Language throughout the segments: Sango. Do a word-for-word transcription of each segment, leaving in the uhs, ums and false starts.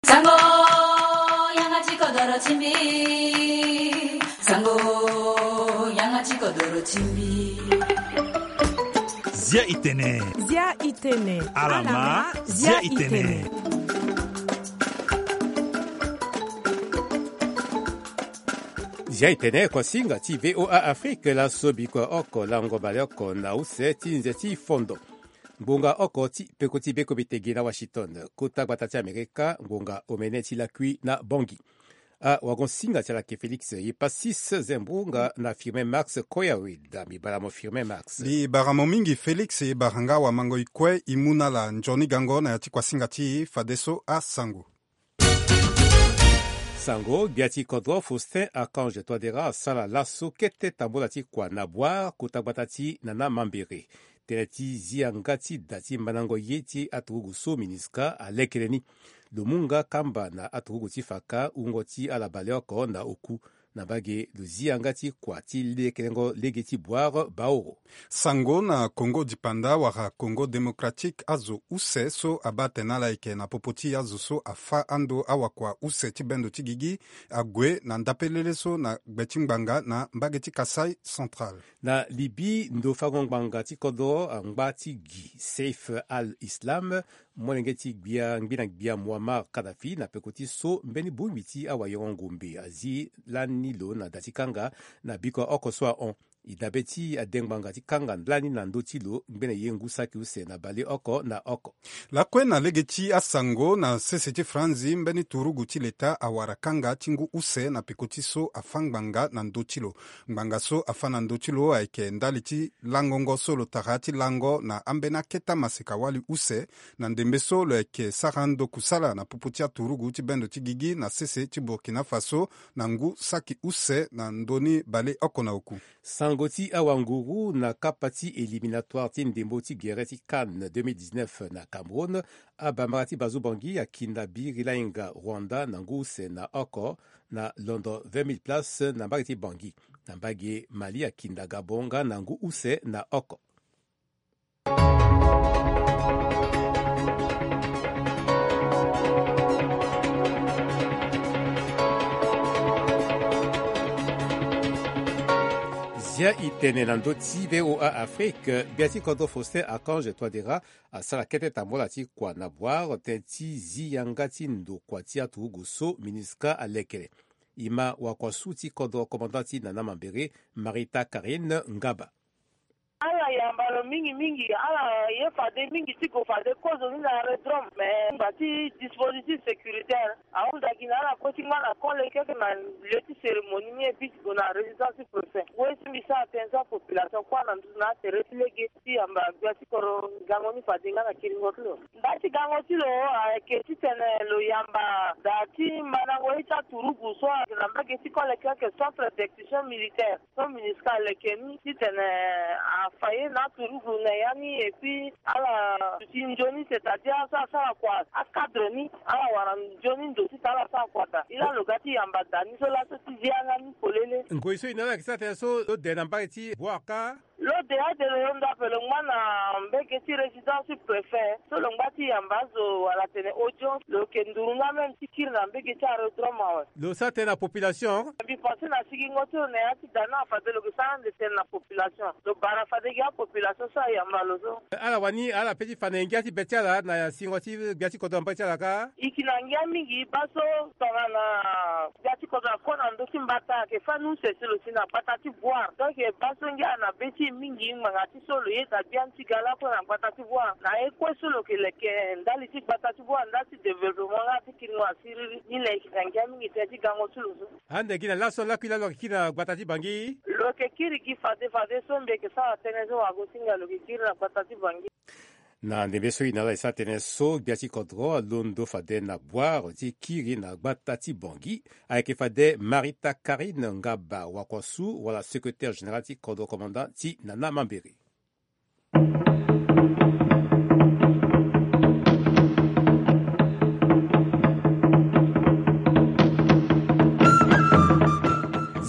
Sango, yanga ti kodoro ti mbi. Sango, yanga ti kodoro ti mbi. Zia itene. Zia itene. Alama, zia itene. Zia itene, kosinga ti V O A Afrique, laso biko oko lango baleoko na use ti nze ti fondo. Ngbonga oko ti peko ti beko bitege na Washington, kota gbata ti Amerika, ngbonga omene ti lakui na Bangui. Awagonsinga ti ala yeke Félix Yepassis Zembunga na Firmin Max Koyawe. Da mbi bara mo Firmin Max. Mbi bara mo mingi Félix, e bara nga wamango e kue e mu na ala nzoni gango na ya ti kuasinga ti e fadeso asango. Sango, gbia ti kodro Faustin Archange Touadéra asara laso kete tambola ti kua na Bouar, kota gbata ti Nana Mambéré. Tënë ti zi yanga ti da ti mandango ye ti aturugu so MINUSCA alekere ni. Lo mu nga kamba na aturugu ti faka wungo ti ala baleoko na oku. Na mbage lo zi yanga ti kua ti lekerengo lege ti Bouar Baoro. Sango na Congo Dipanda wala Congo Démocratique, azo use so abaa atene ala yeke na popo ti azo so afâ ando awakua use ti bendo ti gigi ague na ndapelele so na gbe ti ngbanga na mbage ti Kasaï Central. Na Libye, ndo fango ngbanga ti kodro angba ti gi Saif al-Islam, molenge ti gbia ngbina gbia Muammar Kadhafi, na peko ti so mbeni bongbi ti awayoro ngombe azi lani lo na da ti kanga na biko oko so ahon. E dabe ti adengbanga ti kanga lani na ndö ti lo ngbene ye ngu saki use na baleoko na oko. Lakue na lege ti asango na sese ti Franzi, mbeni turugu ti leta awara kanga ti ngu use na peko ti so afâ ngbanga na ndö ti lo. Ngbanga so afâ na ndö ti lo ayeke ndali ti langongo so lo tara ti lango na ambeni aketa maseka-wali use, na ndembe so lo yeke sara ndo kusala na popo ti aturugu ti bendo ti gigi na sese ti Burkina Faso na ngu saki use na ndö ni baleoko na oku. Sango ti awanguru na kapa ti éliminatoire ti ndembo ti gere ti CAN deux mille dix-neuf na Cameroun, abambara ti Bazu Bangui akinda Biri Lainga Rwanda na ngu use na oko na londo vingt mille places na mbage ti Bangui. Na mbage Mali akinda Gabon nga na ngu use na oko. Zia e tene na ndö ti V O A Afrique, gbia ti kodro Faustin Archange Touadéra asara kete tambola ti kua na Bouar, tënë ti zi yanga ti ndokua ti aturugu so MINUSCA alekere. E ma wakuasu ti kodro, commandant ti Nana Mambéré, Marita Karine Ngaba. Ala yamba lo mingi mingi, ala ye fade mingi ti gue fade kozo ni na aérodrome, mais ngba ti dispositif sécuritaire ahunda gi na ala kue ti ngba na kole keke na lieu ti cérémonie ni, et puis ti gue na résidence ti préfet. Wê ti mbi sara tënë so apopulation kue na nduzu na atere ti lege ti yamba gbia ti kodro gango ni fade nga na kiringo ti lo. Nda ti gango ti lo ayeke titene lo yamba da ti mandango ye ti aturugu so ayeke na mbage ti kole keke, centre d'exécution militaire so MINUSCA aleke ni, titene afa ye na aturugu na ya ni, et puis ala duti nzoni, c'est-à-dire so asara kua acadre ni, ala wara nzoni ndo titene ala sara kua daa. Ila lo ga ti yamba da ni so laso ti zi yanga ni polele. Ngoi so e na ala yeke sara tënë so lo de na mbage ti Bouar ka? Lo de ade lo londo ape lo ngba na mbage ti résidence ti préfet so lo ngba ti yamba azo wala tene audience, lo yeke nduru nga même ti kiri na mbage ti aérodrome awe. Lo sara tënë na population? Mbi pense na sigingo ti lo na ya ti da ni, fade lo yeke sara ande tënë na population. Lo bara fade gi apopulation so ayamba lo so. Ala wani ala pe ti fa na e ngia ti be ti ala na singo ti gbia ti kodro na mbage ti ala ka? E yeke na ngia mingi baa so tongana gbia ti kodro akue na ndö ti mbata ayeke fâ ni use si lo si na gbata ti Bouar. Donc baa so ngia na be ti e mingi ngbanga ti so lo yeda biani ti ga lakue na gbata ti Bouar. Na ye kue so lo yeke leke ndali ti gbata ti Bouar, ndali ti développement nga ti kiringo asiriri. Ni na e yeke na ngia mingi tënë ti gango ti lo so. Ande gi na laso lakui laa lo yeke kiri na gbata ti Bangui? Lo yeke kiri gi fade fade so mbi yeke sara tënë so wagosinga lo yeke kiri na gbata ti Bangui. Na ndembe so e na ala e sara tënë so, gbia ti kodro alondo fade na Bouar ti kiri na gbata ti Bangui. Ayeke fade Marita Karine Ngaba Wakuasu wala secrétaire général ti kodro, commandant ti Nana Mambéré.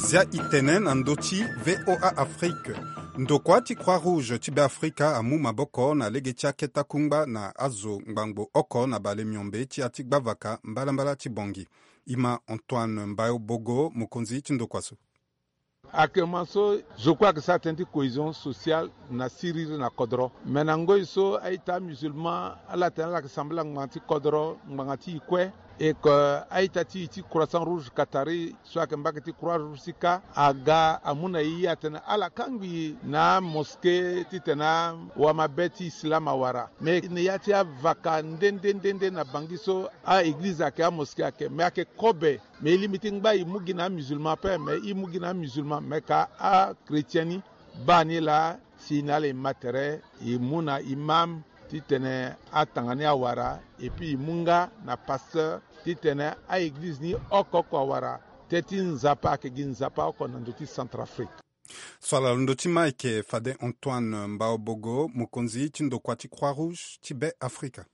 Zia e tene na ndö ti V O A Afrique. Ndokua ti Croix Rouge ti Beafrika amu maboko na lege ti akete akungba na azo ngbangbo oko na bale miombe ti ya ti gbavaka mbalambala ti Bangui. Ima Antoine Mbayobogo, mokonzi ti ndokua so. Actuellement so, zo kue ayeke sara tënë ti cohésion sociale na siriri na kodro. Me na ngoi so a-ita amusulman ala tene ala yeke sambela ngbanga ti kodro, ngbanga ti e kue. E ke a-ita ti e ti Croissant Rouge Qatari so ayeke mbage ti Croix Rouge ti ka aga amu na e atene ala kangbi na amosqué titene awamabe ti islam awara. Me na ya ti avaka nde nde nde nde na Bangui so, a-eglize ayeke, amosqué ayeke, me ayeke kobe. Me e lingbi ti ngba e mu gi na amusulman ape, me e mu gi na amusulman, me ka achrétien ni baa ni laa. Si na ala e ma tere, e mu na imam titene atanga ni awara, et puis e mu nga na pasteur titene a-eglize ni oko oko awara. Tënë ti Nzapa ayeke gi Nzapa oko na ndö ti Centrafrique. So ala londo ti ma ayeke fade Antoine Mbaobogo, mokonzi ti ndokua ti Croix Rouge ti Be Afrika.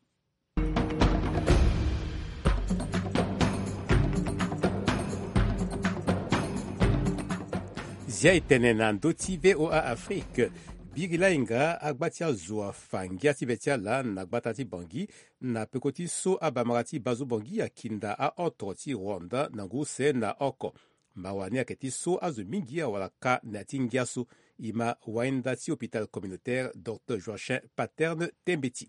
Zia e tene na ndö ti V O A Afrique. Biri lahinga agba ti azo afa ngia ti be ti ala na gbata ti Bangui, na peko ti so abamara ti Bazo Bangui akinda aoto ti Rwanda na ngu use na oko. Mawa ni ayeke ti so azo mingi awara ka na ya ti ngia so. E ma wainda ti hôpital communautaire, docteur Joachin Paterne Tembeti.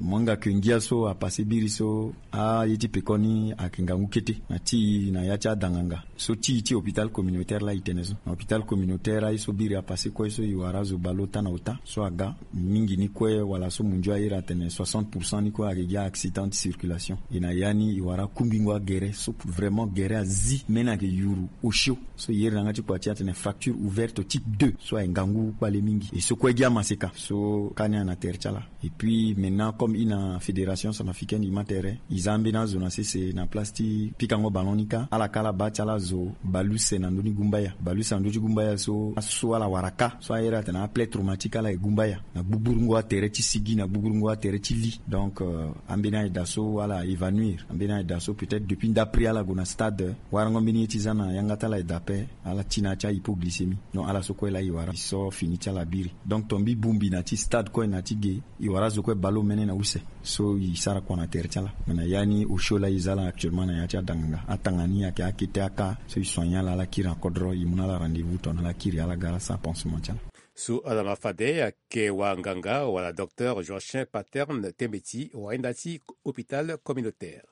Mo hinga ke ngia so apasse biri so, aye ti pekoni ayeke ngangu kete na ti e na ya ti adanganga. So ti e ti hôpital communautaire laa e tene so. Na hôpital communautaire aye so biri apasse kue so e wara azo bale ota na ota so aga. Mingi ni kue wala so mondio airi atene soixante pour cent ni kue ayeke gi a-accident de circulation. E na ya ni e wara kungbingo agere so vraiment gere azi, mbeni ayeke yuru osio. So e iri na yanga ti kua ti e atene fracture ouverte type deux so ayeke ngangu kpale mingi. E so kue gi amaseka so ka ni ayeke na tere ti ala. Et puis maintenant, comme e na fédération centrafricaine, e ma tere, e za ambeni azo na sese na place ti pikango ballon ni ka, ala ka ala baa ti ala azo bale use na ndö ni gumbaya. Bale use na ndö ti gumbaya so, aso ala wara ka so airi atene aplaie traumatique, ala ye gumbaya na gbugburu ngo atere ti sigi, na gbugburu ngo atere ti li. Donc, euh, ambeni ayeda so ala évanouir, ambeni ayeda so peut-être depuis ndapri ala gue na stade, warango mbeni ye ti za na yanga ti ala ayeda ape, ala ti na ya ti ahypoglycémie. Donc ala so kue laa e wara, e so fini ti ala biri. Donc tongbi bongbi na ti stade kue na ti ge, e wara azo kue bale omene na use. So e sara kua na tere ti ala. Me na ya ni osio laa e za ala actuellement na ya ti adanganga, atanga ni ayeke akete aka so e soigner ala, ala kiri na kodro, e mu na ala rendez-vous tongana ala kiri, ala ga ala sara pansement ti ala. So ala ma fade ayeke wanganga wala docteur Joachin Paterne Tembeti, wainda ti hôpital communautaire.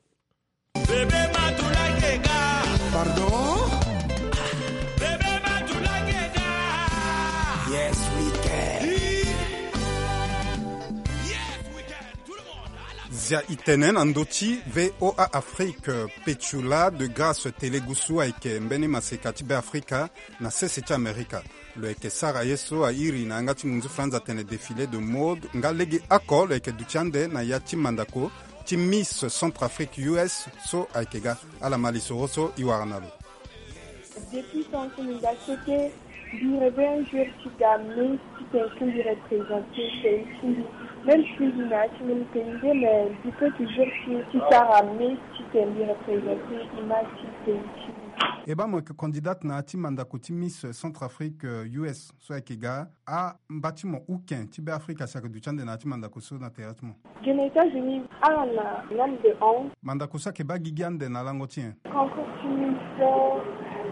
Bébé Matoula Keka. Pardon? Bébé Matoula Keka. Yes, we can. Yes, we can. Tout le monde, à la... Zia e tene na ndö ti V O A Afrique, Petula de Grâce Telegusu ayeke mbeni maseka ti Be Afrika na sese ti Amerika. Lo yeke sara ye so airi na yanga ti ngunzu franz atene défilé de mode, nga lege oko lo yeke duti ande na ya ti mandako ti Miss Centrafrique U S so ayeke ga. Ala ma lisoro so e wara na lo. Depuis tant que mbi ga kete, mbi rêver un jour ti ga Miss, ti tene ti mbi représenter pays ti mbi. Même si mbi na ya ti mbi pays nde, mais mbi peut toujours ti, ti sara Miss, ti tene mbi représenter image ti pays ti mbi. E baa mo yeke candidate na ya ti mandako ti Miss Centrafrique, euh, U S so ayeke ga. Amba ti mo uken ti Be Afrika si ayeke duti ande na ya ti mandako so na tere ti mo? Ge na États-Unis, ala na nombre de onze. Mandako so ayeke baa gigi ande na lango ti nyen? Concours ti Miss, euh,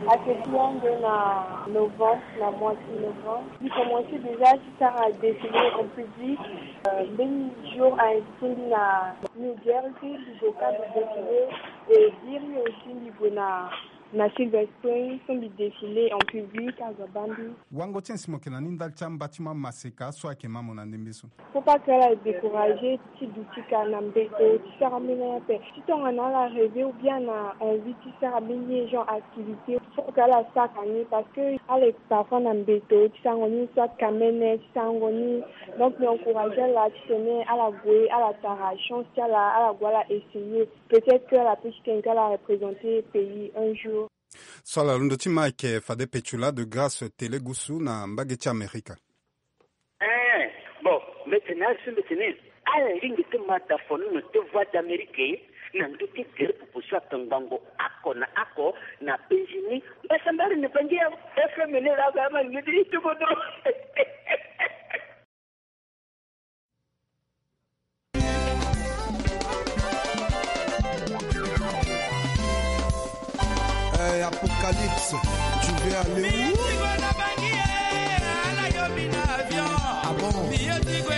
ayeke gi ande na novembre, na mois ti novembre. Mbi commencer déjà ti sara défilé en public. Euh, mbeni jour a invité mbi na New Jersey, mbi gue ka mbi défilé. Et biri aussi mbi gue na, na Silver Spring so mbi défilé en public, azo abaa mbi. Wango ti nyen si mo yeke na ni ndali ti amba ti mo amaseka so ayeke ma mo na ndembe so? Faut pas que ala décourager ti duti ka na mbeto ti sara mbeni ape. Ti tongana ala rêver ou bien na envie ti sara mbeni genre activité, faut que ala sara ka ni, parce que ala parfois na mbeto ti sarango ni, soit kamene ti sarango ni. Donc mbi encourager ala ti tene ala gue, ala tara chance ti ala, ala gue ala essayer. Peut-être que ala peut ti tene que ala représenter pays un jour. So ala londo ti ma ayeke fade Petula de Grâce Telegusu na mbage ti Amerika. Eh, bon, mbi tene asi mbi tene ala lingbi ti ma da foni na te Voix d'Amérique na ndö ti tere proposition. Chaque ngangu ako na ako na penzi ni. Mbasambari na bangi ya F M N la ga ma ni di tuko dro. Eh, Apocalypse, tu veux aller où? Ah bon? Kaikwe.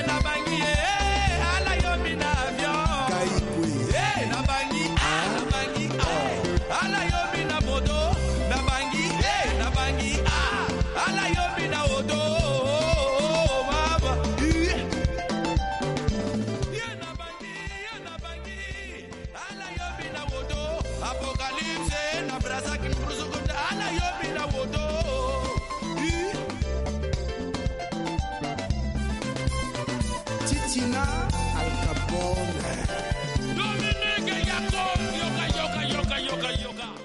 Titina Al Capone.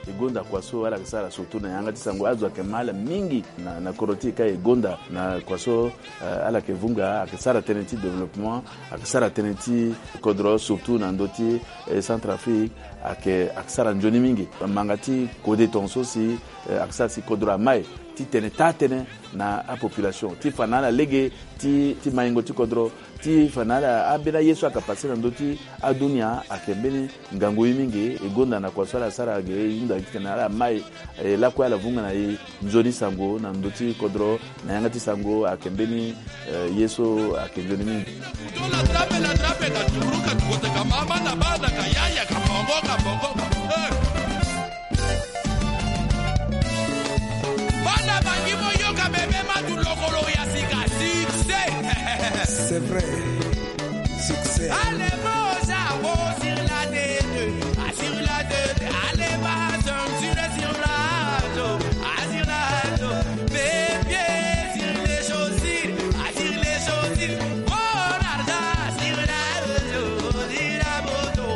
E gonda kua so ala yeke sara surtout na yanga ti sango, azo ayeke ma ala mingi na, na kodro ti e ka e gonda na kua so, eh, ala yeke vunga, ayeke sara tënë ti développement, ayeke sara tënë ti kodro surtout na ndö ti, eh, Centrafrique, ayeke, ayeke sara nzoni mingi. Manga ti kode tongaso si, eh, ayeke sara si kodro amai ti tene taa-tënë na apopulation ti fa na ala lege ti, ti maingo ti kodro, ti fa na ala ambeni aye so ayeke pase na ndö ti adunia ayeke mbeni ngangu ye mingi. E gonda na kua so ala sara ge, e hunda titene ala mai, eh, lakue ala vunga na e nzoni sango na ndö ti kodro, na yanga ti sango ayeke mbeni, eh, ye so ayeke nzoni mingi. Bana bangi mo yoka bebe matu lokolo ya sika, succès. C'est vrai. Succès. Allez, moja, oh, sur la tête, ah, sur la tête, allez, va, sur, sur, sur la dos, ah, sur la dos, mes pieds, sur les chaussures, ah, sur les chaussures, mon argent, sur la dos, sur la moto,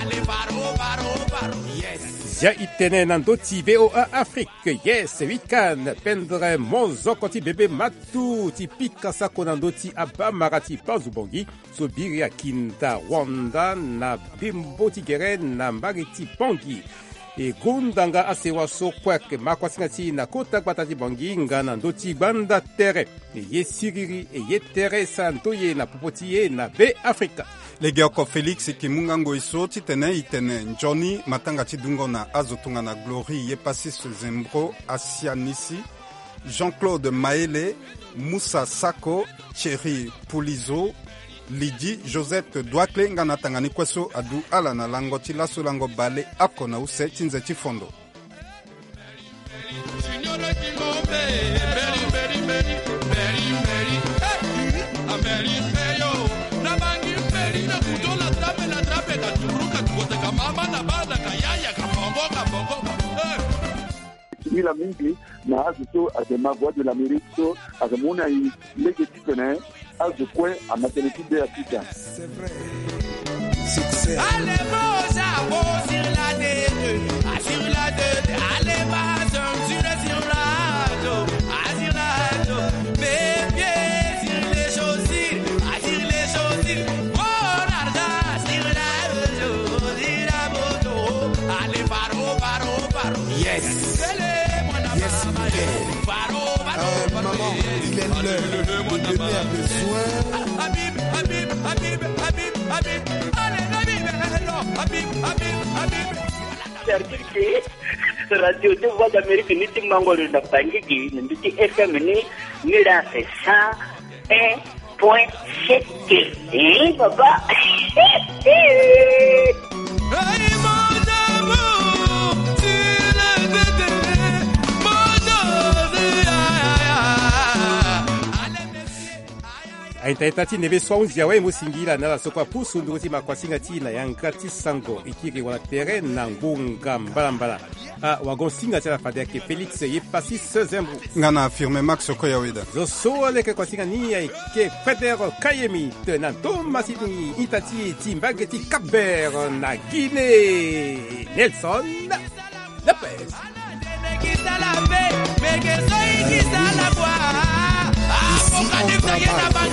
allez, paro, paro, paro, yes. Ya e tene na ndö ti V O A Afrique. Yes, week-end, pendre mozoko ti bebe matu ti pika sako na ndö ti abamara ti Panzu Bangui so biri akinda Rwanda na bembo ti gere na mbage ti Bangui. E gonda nga asewa so kue ayeke ma kuasinga ti e na kota gbata ti Bangui nga na ndö ti gbanda tere. E ye siriri, e ye tere, e sara ndoye na popo ti e na Be Afrika. Legeoko Félix e yeke mu nga ngoi so titene e tene nzoni matanga ti dungo na azo tongana Glory Yepacis Zembro, Asianisi, Jean-Claude Maele, Moussa Sako, Thierry Poulizo, Lydie Josette Douakle nga na atanga ni kue so adu ala na lango ti laso lango baleoko na use ti nze ti fondo. Ti mila mingi na azo so ayeke ma Voix de l'Amérique so ayeke mu na e lege titene azo kue ama tënë ti be afika. C'est vrai. Succès. Allez, moja, oh, sur la tête, ah, sur la tête, allez, va, sur, sur, sur la dos, ah, sur la dos, mes pieds, sur les chaussures, ah, sur les chaussures, mon argent, sur la dos, sur la moto, allez, paro, paro, paro, yes. Yes, Miguel. Euh, maman, il est l'heure de donner un besoin. Service Radio de Voix d'Amérique ni ti mango lo na Bangui gi, na ndö ti F M ni, ni la c'est cent un point sept. Eh, papa. Aita ita ti neve so ahunzi awe mo singila na ala so kue apusu nduru ti makuasinga ti na yanga ti sango e kiri wala tere na ngonga mbalambala. Ah, wagon singa ti ala fade ayeke Félix Yepacis Zembro. Nga na Firme Max Koyaweda. Zo so aleke kuasinga ni ayeke Feder Kayemi te na Thomas ni ita ti ti mbage ti Cap Vert na Guinée. Nelson Lopez. Ici, on travaille.